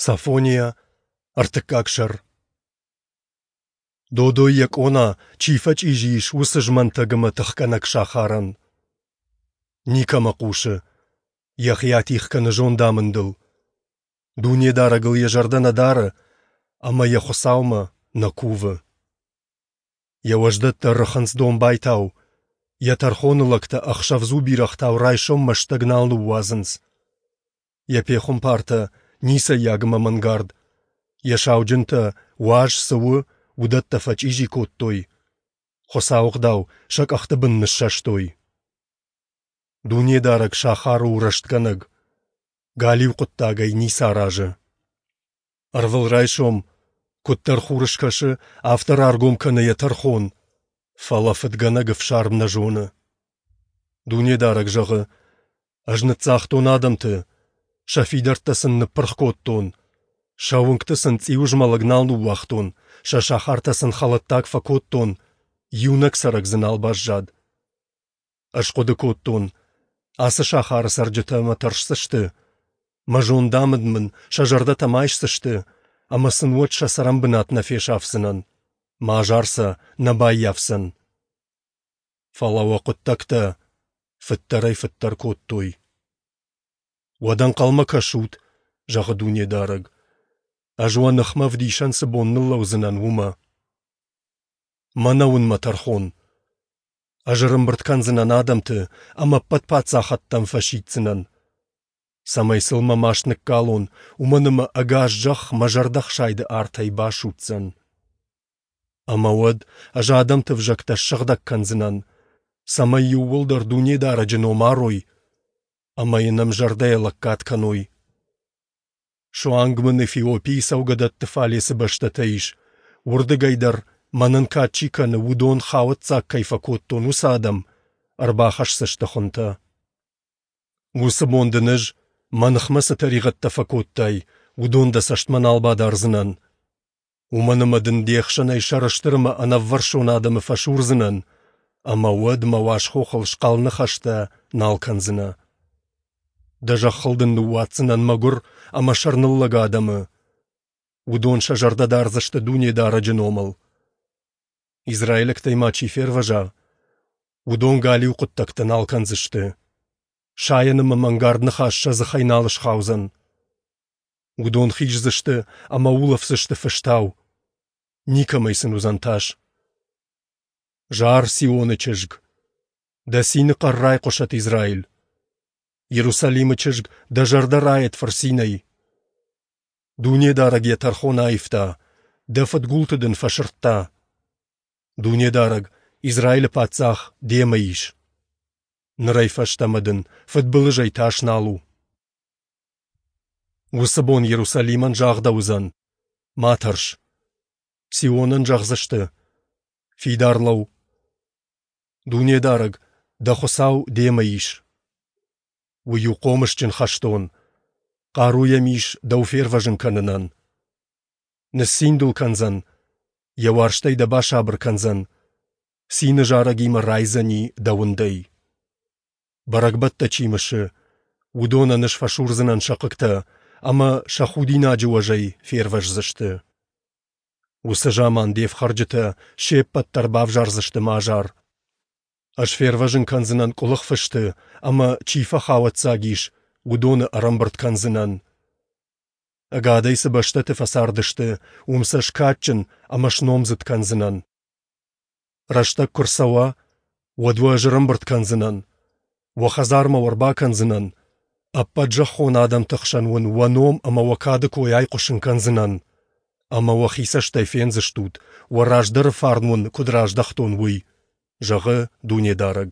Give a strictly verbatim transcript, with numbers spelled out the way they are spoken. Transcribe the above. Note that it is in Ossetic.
Софония, ӕртыккаг сӕр. Додой йӕ къона, чи фӕчъизи ис, уыцы змӕнтӕг ӕмӕ тыхгӕнӕг сахарӕн. Никӕмӕ хъусы, йӕхи атигъ кӕны зондамындыл. Дунедарӕгыл йӕ зӕрдӕ нӕ дары ӕмӕ йӕ Хуыцаумӕ нӕ кувы. Йӕ уӕздӕттӕ рыхынц домбайтау, йӕ тӕрхоны лӕгтӕ ӕхсӕвдзу бирӕгътау райсоммӕ стӕг нал ныууадзынц. Йӕ пехуымпартӕ ницӕййаг ӕмӕ мӕнгард, йӕ сауджынтӕ, уаз цы у, уыдӕттӕ фӕчъизи кодтой, Хуыцауы ӕгъдау сӕ къӕхты бын ныссӕстой. Дунедарӕг сахары у рӕстгӕнӕг, галиу хъуыддагӕй ницы аразы. Ӕрвылрайсом, куыддӕр хур скӕсы, афтӕ раргом кӕны йӕ тӕрхон, фӕлӕ фыдгӕнӕг ӕфсарм нӕ зоны. Дунедарӕг зӕгъы: Ӕз ныццагътон адӕмты, сӕ фидӕрттӕ сын ныппырх кодтон, сӕ уынгты сын цъиуызмӕлӕг нал ныууагътон, сӕ сахартӕ сын хӕлӕттаг фӕкодтон, иунӕг цӕрӕг дзы нал баззад. Ӕз хъуыды кодтон, ацы сахары цӕрджытӕ мӕ тӕрсдзысты, мӕ зондамынд мын сӕ зӕрдӕтӕм айсдзысты, ӕмӕ сын уӕд сӕ цӕрӕнбынат нӕ фесафдзынӕн, мӕ азар сӕ нӕ баййафдзӕн. Фӕлӕ уӕ хъуыддӕгтӕ фыддӕрӕй-фыддӕр кодтой. Уӕд ӕнхъӕлмӕ кӕсут, зӕгъы Дунедарӕг, ӕз уӕ ныхмӕ ӕвдисӕн цы бон ныллӕудзынӕн, уымӕ. Мӕнӕ уын мӕ тӕрхон. Ӕз ӕрӕмбырд кӕндзынӕн адӕмты ӕмӕ ӕппӕт паддзахӕдтӕм фӕсиддзынӕн, цӕмӕй сыл мӕ маст ныккалон, уымӕн ӕмӕ ӕгас зӕхх мӕ зӕрдӕхсайды артӕй басудздзӕн. Ӕмӕ уӕд ӕз адӕмты ӕвзӕгтӕ ссыгъдӕг кӕндзынӕн, цӕмӕй иууылдӕр Дунедарӕджы ном арой ӕмӕ йын ӕмзӕрдӕйӕ лӕггад кӕной. Суанг мын Эфиопийы цӕугӕдӕтты фале цы бӕстӕтӕ ис, уырдыгӕй дӕр мӕнӕн кад чи кӕны, уыдон хауӕццаг кӕй фӕкодтон, уыцы адӕм ӕрбахӕсдзысты хуынтӕ. Уыцы бон дын ӕз, мӕ ныхмӕ цы тӕригъӕдтӕ фӕкодтай, уыдон дӕ цӕстмӕ нал бадардзынӕн. Уымӕн ӕмӕ дын де хсӕнӕй сӕрыстыр ӕмӕ ӕнӕввӕрсон адӕмы фӕсурдзынӕн, ӕмӕ уӕд мӕ уаз хохыл схъӕл ныхӕстӕ нал кӕндзынӕ. Дӕ зӕххыл дын ныууадздзынӕн мӕгуыр ӕмӕ сӕрныллӕг адӕмы. Уыдон сӕ зӕрдӕ дардзысты Дунедарӕджы номыл. Израилӕгтӕй ма чи фервӕза, уыдон галиу хъуыддӕгтӕ нал кӕндзысты. Сайӕн ӕмӕ мӕнгард ныхас сӕ дзыхӕй нал схаудзӕн. Уыдон хиздзысты ӕмӕ улӕфдзысты фыстау. Никӕмӕй сын уыдзӕн тас. Зар, Сионы чызг! Дӕ цины хъӕр райхъуысӕд, Израиль! Иерусалимы чызг, дӕ зӕрдӕ райӕд фырцинӕй! Дунедарӕг йӕ тӕрхон аивта, дӕ фыдгулты дын фӕсырдта. Дунедарӕг, Израилы паддзах, демӕ ис. Нырӕй фӕстӕмӕ дын фыдбылызӕй тас нал у. Уыцы бон Иерусалимӕн загъдӕуыдзӕн: Ма тӕрс. Сионӕн зӕгъдзысты: Фидар лӕуу. Дунедарӕг, дӕ Хуыцау, демӕ ис. Уый у хъомысджын хӕстон, хъару йӕм ис дӕу фервӕзын кӕнынӕн. Ныццин дыл кӕндзӕн, йӕ уарзтӕй дӕ басабыр кӕндзӕн, цины зарӕгимӕ райдзӕни дӕ уындӕй. Бӕрӕгбӕттӕ чи мысы, уыдонӕн ӕз фӕсурдзынӕн сӕ хъыгтӕ ӕмӕ сӕ худинаджы уӕзӕй фервӕздзысты. Уыцы заман де фхӕрджытӕ се ппӕт дӕр бавзардзысты мӕ азар. Ӕз фервӕзын кӕндзынӕн къуылых фысты ӕмӕ, чи фӕхауӕццаг ис, уыдоны ӕрӕмбырд кӕндзынӕн. Ӕгадӕй цы бӕстӕты фӕцардысты, уым сӕ скадджын ӕмӕ сномдзыд кӕндзынӕн. Рӕстӕг куы рцӕуа, уӕд уӕ ӕз ӕрӕмбырд кӕндзынӕн, уӕ хӕдзармӕ уӕ ӕрбакӕндзынӕн, ӕппӕт зӕххон адӕмты хсӕн уын уӕ ном ӕмӕ уӕ кады кой айхъуысын кӕндзынӕн, ӕмӕ уӕхи цӕстӕй фендзыстут, уӕ раздӕры фарн уын куыд раздӕхтон, уый, зӕгъы Дунедарӕг.